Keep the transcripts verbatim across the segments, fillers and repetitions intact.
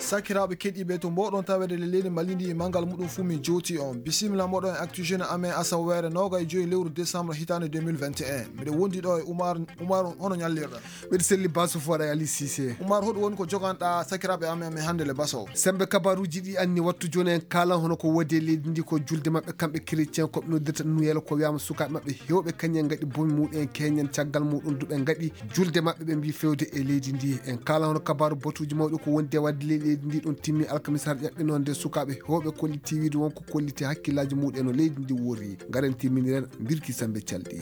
sakiraɓe keɗiɓe to mboɗon tawede le leydi malidi mangal muɗum fu min joti on bisimilla moɗon e actu jeune amen asawere noga e joyi lewru décembre hitande deux mille vingt et un mbiɗa wondi ɗo e oumar oumar hono ñallirɗa mbiɗa selli baso fo waɗa Ali Cissé. oumar hoɗum woni ko joganɗa sakiraɓe amen amen hande le baso sembe kabaruji ɗi anni wattu joni en kalan hono ko wodi e leydi ndi ko julde mabɓe kamɓe chrétien koɓe noddirta nuyel ko wiyama sukaɓe mabɓe hewɓe kañen gaɗi bomi muɗum en keñen caggal muɗum duɓe gaɗi julde mabɓe ɓe mbi fewde e leydi ndi en kala hono kabaru batuji mawɗi ko wondi e wadde leydi ndi ɗon timmi alkamisa har ƴaɓɓinode sukaɓe hewɓe kolliti wiide wonko kolliti hakkillaji muɗum no leydi ndi wori garen timminiren birki sambe calɗi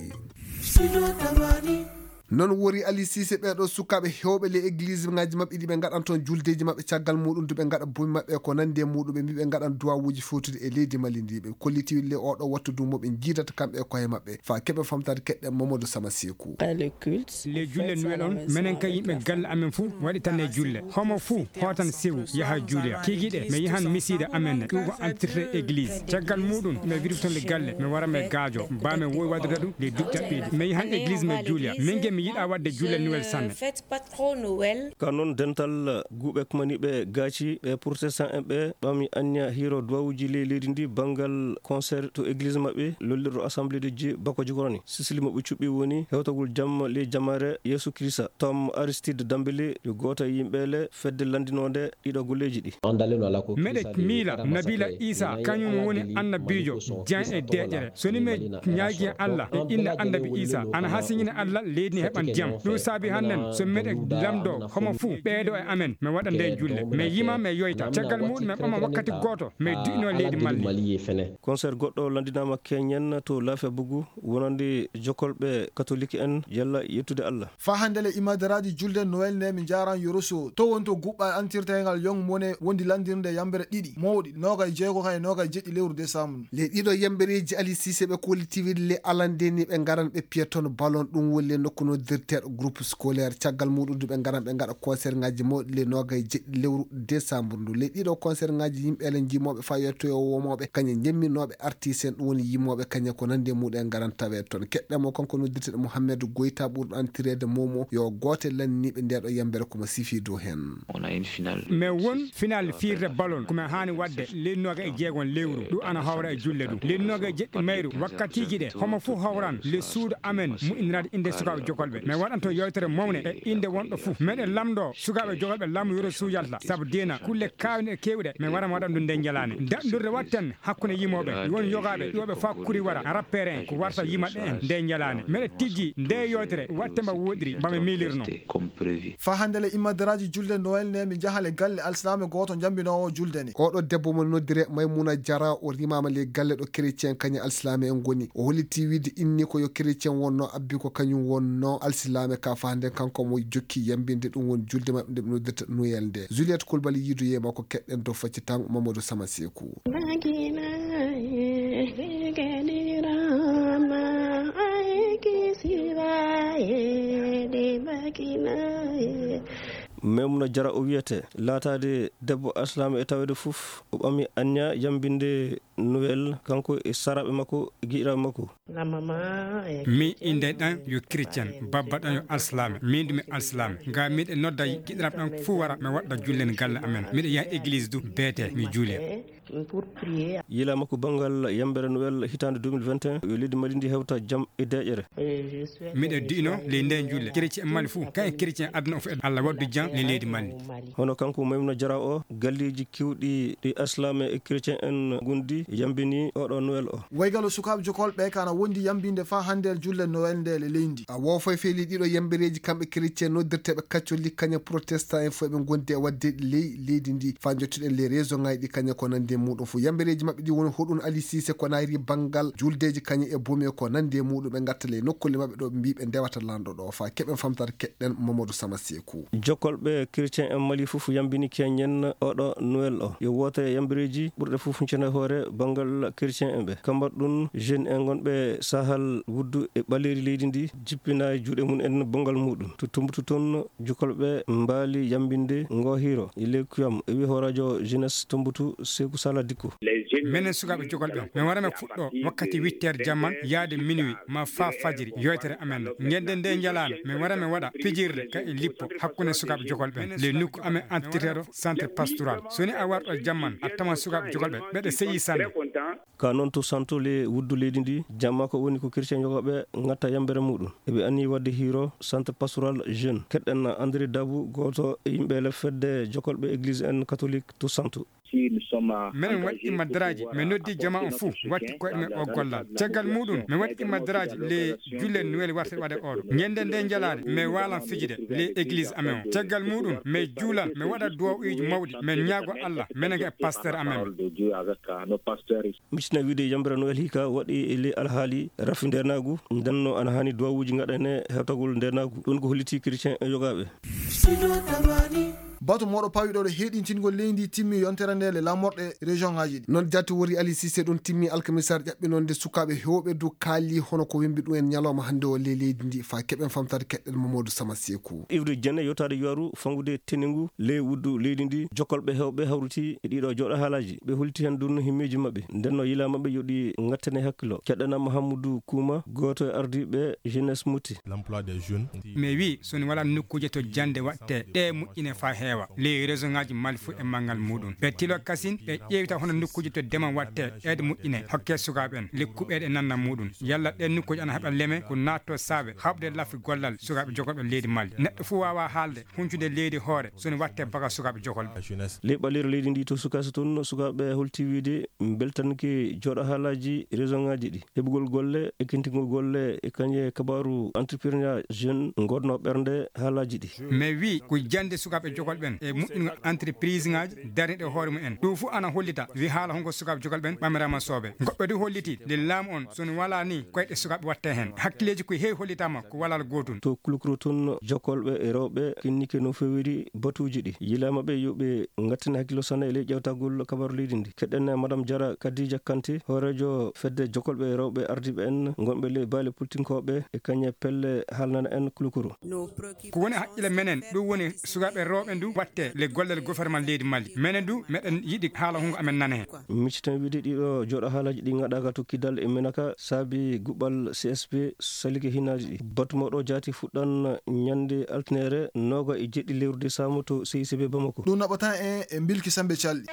non wori Ali Cissé ɓeɗo sukaɓe hewɓe le église ngaji mabɓe ɗi ɓe gaɗan toon juldeji mabɓe caggal muɗum duɓe gaɗa bomi mabɓe ko nande muɗum ɓe mbi ɓe gaɗan duwawuji fewtude e leydi Mali ndi ɓe kolliti le oɗo wattu du mo ɓe jiidata kamɓe koye mabɓe fa keɓe famtade keɗɗen Mamadou Sama Sekou le julle nuwel on minen kay yimɓe galle amen fou waɗi tan e julle homo fou hotan sewu yaha juuloya kikiɗe mi yahan misida amen ɗum ko entirte église caggal muɗum mi wiɗi toon le galle mi wara mi gaajo mba mi wowi waddude ɗum le duɓɗaɓɓeji mi yahan église mi juuloya min mi yiɗa wadde julle Noël sanne ka noon dental guuɓe kumaniɓe gaaci ɓe protestant en ɓe ɓami anniya hiro duwawuji ley leydi ndi banggal concert to église mabɓe lollirɗo assemblée de dieu bako jogorani sisili mabɓe cuɓɓi woni hewtagol jamma ley jamare yeesu christa tom aristide dambélé yo goto e yimɓele fedde landinode ɗiɗo golleji ɗi meɗe miila nabila isa kañum woni annabijo dian e deƴere soni mi ñaagui Allah e inde annabi isa ana ha siñine Allah leydi ni heɓan jam ɗum saabi hannen so meɗe lamdo homo fou ɓeeɗo e amen mi waɗa nde julle mi yima mi yoyta caggal muɗum mi ɓama wakkati goto mi du'ino leydi Mali concert goɗɗo landinama keñen to laafe bugu wonande jokolɓe catholique en yalla yettude Allah fa hande le imadaraji julde Noël ne mi jaran yoroso to wonto guɓɓal antirtegal yong mone wondi landirde yambere ɗiɗi mawɗi noga e jeego kay noga e jeɗɗi lewru décembre le ɗiɗo yambereji Ali Cissé ɓe kolliti wiide le alandeni ɓe garan ɓe piyaton ballon ɗum wolle nokku noddirteɗo groupe scolaire caggal muɗum ɓe garan ɓe gaɗa concert ngaji mawɗi le noga e jeɗɗi lewru décembre ndu le ɗiɗo concert ngaji yimɓele jimoɓe fa yettoyo womoɓe kañe jemminoɓe artiste en ɗum woni yimoɓe kañe ko nande muɗum en garan tawe toon keɗɗemo kanko noddirteɗo Mouhamadou Goyta ɓurɗo antirede momo yo gote lanniɓe ndeɗo yambere komo sifi dow hen mais won final firde ballon komi hani wadde lennoga e jeegon lewru ɗum ana hawra e julle ɗum lennoga e jeɗɗi mayru wakkatiji ɗe homo fou hawran le suudu amen mu'inirade inde sukaɓe jokolɓe mais waɗanto yewtere mawne e inde wonɗo fou meɗe lamdo sukaɓe jokolɓe lamdo yoro suyalta saabu dina kulle kawne e kewɗe mais waɗa waɗan ɗum nde jalane daɗɗurde watten hakkude yimoɓe won yogaɓe ƴoɓe fa kuri wara rappere en ko warta yimaɗe en nde jalane meɗe tijji nde yewtere watte mba woɗiri mbami milirno fa hande le imadaraji julde Noël ne mi jahale galle alsilame goto jambinowo julde ni oɗo debbo mo noddire Maymouna Diara o rimama le galle ɗo chrétien kañum alsilame en goni o holliti wiide inni ko yo chrétien wonno abbi ko kañum wonno alsilame ka fa hande kanko mo jokki yambinde ɗum woni julde mabɓe nde ɓe noddirta Noël nde Juliette Coulibaly yiidu yema ko keɗɗen dow facci tan Mamadou Sama Sekou Maymouna Diara o wiyete laatade debbo aslama e tawede fof o ɓami anniya yambinde Noël kanko e saraɓe makko e giɗiraɓe makko mi inde ɗan yo chrétien babba ɗan yo alslame min ɗumi alslame ga miɗe nodda giɗiraɓe ɗan fou wara mi waɗɗa jullen galle amen miɗe yaha église du beete mi juule yila makko banggal yambere Noël hitande deux mille vingt et un yo leydi Mali ndi hewta jaam e deƴere miɗe du'ino ley nden julle chrétien e Mali fou kay chrétien aduna o fo Allah waddu jam le leydi Mali hono kanko Maymouna Diara o galleji kewɗi ɗi aslame e chrétien en gondi yambini oɗo Noël o waygalo sukaɓe jokolɓe kana wondi yambinde fa hande julle Noël nde le leydi a wo foy feeli ɗiɗo yambereji kamɓe chrétien noddirteɓe catholique kaña protestant en foy ɓe gondi e wadde ley leydi ndi fa jottuɗen les réseau ngaji ɗi kaña ko nande muɗum fo yambereji mabɓe ɗi woni hoɗum Ali Cissé ko nayri banggal juldeji kaña e bomi ko nande muɗum ɓe gattale nokkulle mabɓe ɗo ɓe mbi ɓe ndewata lanɗo ɗo fa keɓen famtata keɗɗen Mamadou Sama Sekou jokkolɓe chrétien en Mali fof yambini keñen oɗo Noël o yo wote yambereji ɓurɗe fof cene hoore banggal chrétien en ɓe kambat ɗum jeune en gonɓe ɓe sahal wuddu e ɓaleri leydi ndi jippina e juuɗe mum en bongal muɗum to tumbutu toon jukolɓe mbaali yambinde ngohiro e ley kuyam e wi horadio jeunesse tombutu Sékou Sala Dicko. minen sukaɓe jogolɓe min warame fuɗɗo wakkati huit heures jamman yaade minuit ma fa fajiri yoytere amen gendен nde jalano min warame waɗa pijirde ka e lippo hakkude sukaɓe jogolɓe le nokku amen entretero centre pastoral soni a warɗo jamman a taman sukaɓe jogolɓe ɓeɗe seyi sanne ka noon to santo le wuddu leydi ndi jamma ko woni ko chrétien jogoɓe gatta yambere muɗum eɓe anni wadde hiro centre pastoral jeune keɗɗen André Dabou goto e yimɓe lefedde jokolɓe église en catholique to santo. minen waɗi immandiraji min noddi jama on fou watti koye ɗumen o gollal caggal muɗum min waɗi immandiraji le julle nuwel wartede waɗe oɗo ñanden nde jalade min walan fijide le église amen o caggal muɗum min juulan min waɗa duwaw uji mawɗi min ñaago Allah minen ga e pasteur amen micina wiide yambere noel hika waɗi e le alhaali rafi ndenagu ndenno ana hani duwawuji gaɗane hewtagol ndenagu ɗum ko holliti chrétien e yogaɓe. bato moɗo pawiɗoɗo heɗintingol leydi timmi yontere nde le lamorɗe région ngaji ɗi noon jati wori Ali Cissé ɗon timmi alkamisar ƴaɓɓinonde sukaɓe hewɓe dow kaali hono ko wimbi ɗum en ñalawma hande o le leydi ndi fa keɓen famtade keɗɗen Mamadou Sama Sékou. Iwde Dienne yotade yowaru fangude teningu le wuddu leydi ndi jokkolɓe hewɓe hawruti e ɗiɗo joɗo haalaji ɓe holti hen dunno himmeji mabɓe ndenno yila mabɓe yoɗi gattane hakkilo keɗɗana Mahamoudou Kouma goto e ardiɓe jeunesse muti l'emploi des jeunes mi wi soni wala nokkuje to jande watte ɗe moƴƴine fa heewa les région ngaji mali fu e mangal muɗum ɓe tilo kasin ɓe ƴeewita hono nokkuje to deman watte eede moƴƴine hokke sukaɓe en lekkuɓeɗe nanna muɗum yalla ɗen nokkuji ana heeɓa leeme ko natto saabe habde laafi gollal sukaɓe jogolɓe leydi Mali neɗɗo fu wawa haalde huncude leydi hoore soni watte baga sukaɓe jogolɓe ley ɓalero leydi ndi to sukasa toon sukaɓe holti wiide beltanki joɗo haalaji région ngaji ɗi heɓugol golle ekkintigol golle e kañe kabaru entrepreneur jeune godno ɓernde haalaji ɗi mais wi ko jande sukaɓe jogolɓen e moƴƴingo entreprise ngaji darniɗe hoore mumen ɗum fu ana hollita wi haala honko sukaɓe jogolɓen ɓamirama sooɓe goɓɓe du holliti nde laamu on soni wala ni koyɗe sukaɓe watte hen hakkilleji koye heewi hollitama ko walal gotum to kulukro toon jokkolɓe e rewɓe kinnike no fewiri batuji ɗi yilamaɓe yoɓe gattane hakkilo sanne e ley ƴewtagol kabaru leydi ndi keɗɗen madame Diara Kadija Kanté horejo fedde jokkolɓe e rewɓe ardiɓe en gonɓe ley baale politinkoɓe e kañe pelle haalnana en kulukro ko woni haqqille menen ɗum woni sukaɓe rewɓe ndu watte le gollel gouvernement leydi Mali menen du meɗen yiiɗi haala hungo amen nana hen micciten wiide ɗiɗo joɗo haalaji ɗi gaɗaka tokkidal e menaka saabi guɓɓal C S P salike hinaji ɗi batu mawɗo jaati fuɗɗan ñande altinere noga e jeɗɗi lewru décembre to C I C B Bamako ɗum naɓata en e bilki sambe calɗi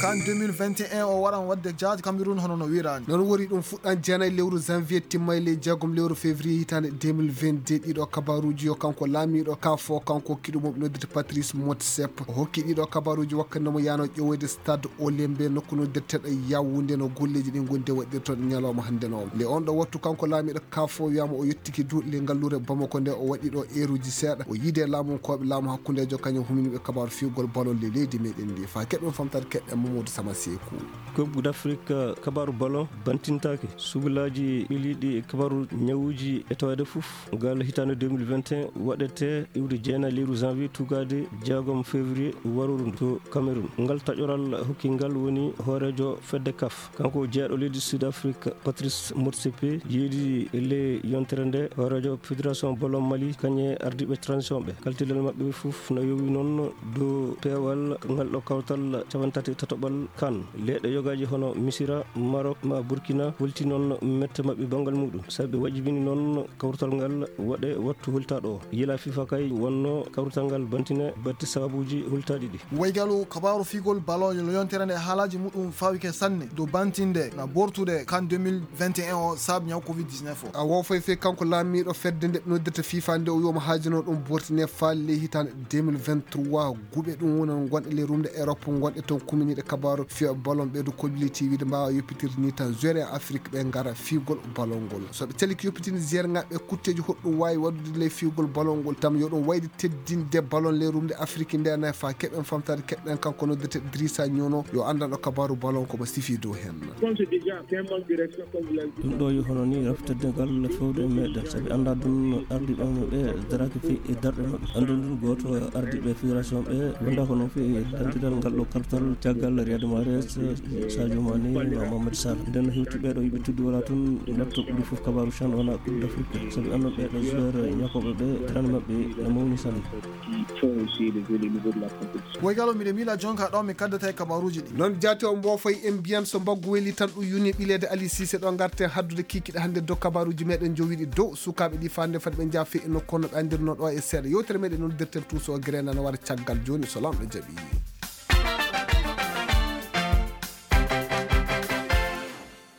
kan deux mille vingt et un o waran wadde jaati Cameroun hono no wirani non wori ɗum fuɗɗan jeenayi lewru janvier timma le jeegom lewru février hitande deux mille vingt deux ɗiɗo kabaruji yo kanko laamiɗo ka fo kanko kiɗumo noddete Patrice Motsepe o hokki ɗiɗo kabaruji wakkandemo yano ƴewoyde stade Olembe nokku noddirteɗo Yaoundé no golleji ɗi gonde waɗirtoɗe ñalawma hande no le on ɗo wattu kanko laamiɗo ka fo wiyama o yettiki duuɗi ngallure Bamako nde o waɗi ɗo eruji seeɗa o yiide laamu koɓe laamu hakkudejo kañum huminiɓe kabaru fiugol ballon le leydi meɗen ndi fa keɓen famtade keɗɗen Mamadou Sama Sékou. Coupe d'Afrique kabaru ballon bantintake subilaji ɓiliɗi e kabaru ñawuji e tawede fof ngal hitande deux mille vingt et un waɗete iwde jeenayi lewru janvier tugade jeegom février waruru to Cameroun ngal taƴoral hokkingal woni hoorejo fedde kaf kanko jeeɗo leydi Sud Afrique Patrice Motsepe yeedi e ley yontere nde hoorejo fédération ballon Mali kañe ardiɓe transition ɓe kaltilel mabɓe fof no yowi noon dow peewal ngal ɗo kawtal capantati tatoɓal kan leɗɗe yogaji hono Misira Maroc ma Burkina holti noon mette mabɓe bangal muɗum sabi wajibini noon kawrutal ngal waɗe wattu hultaɗo o yila FIFA kay wonno kawrutal ngal bantine batti sababuji hultaɗi ɗi waygalu kabaru figol ballon no yontere nde haalaji muɗum fawike sanne dow bantinde na bortude kan deux mille vingt et un o saabi ñaw covid dix-neuf o a wo fay fe kanko laamiɗo fedde nde noddirta FIFA nde o wiyoma haajino ɗum bortine falle hitande deux mille vingt trois guɓe ɗum woni gonɗe le rumde Europe gonɗe toon kuminiɗe kabaru fiya ballon ɓeydo kolliti wiide mbawa yoppitirde ni tan jeure Afrique ɓe gara figol ballon ngol soɓe caliki yoppitini jeere ngaɓe kutteji hoɗɗum wawi waddude ley figol ballon ngol tam yo ɗum wayde teddinde ballon le rumde Afrique nde nayi fa keɓen famtade keɓɗen kanko noddete Drissa Nyono yo andanɗo kabaru ballon komo sifi dow hen ɗum ɗo yo hono ni rafteddegal fewde meɗen saabi anda ɗum ardiɓe ɓe daraki fi e darɗe mabɓe andu ɗum goto ardiɓe fédération ɓe wonda ko noon fi dandiral ngal ɗo kartal caggal Riyad Mahrez, Sadio Mané, Mohamed Salah. nden hewtiɓe ɗo yiɓe tuddu wala tun netto ɓuri fof kabaru chan wona coupe d'Afrique sabi annon ɓeɗo joueur ñakoɓe ɓe tan maɓɓe ne mawni sanne. Woygalo miɗe miila jonka ɗo mi kaddata e kabaruji ɗi noon jaati o mbofoy en mbiyan so mbaggu weeli tan ɗum yuni ɓileede Ali Cissé ɗo garten haddude kikiɗe hannde dow kabaruji meɗen jowiɗi dow sukaɓe ɗi fande fadi ɓe jaafi e nokku no ɓe andirno ɗo e seeɗa yewtere meɗen noddirten tuuso o grenana wara caggal joni so lamɗo jaaɓi.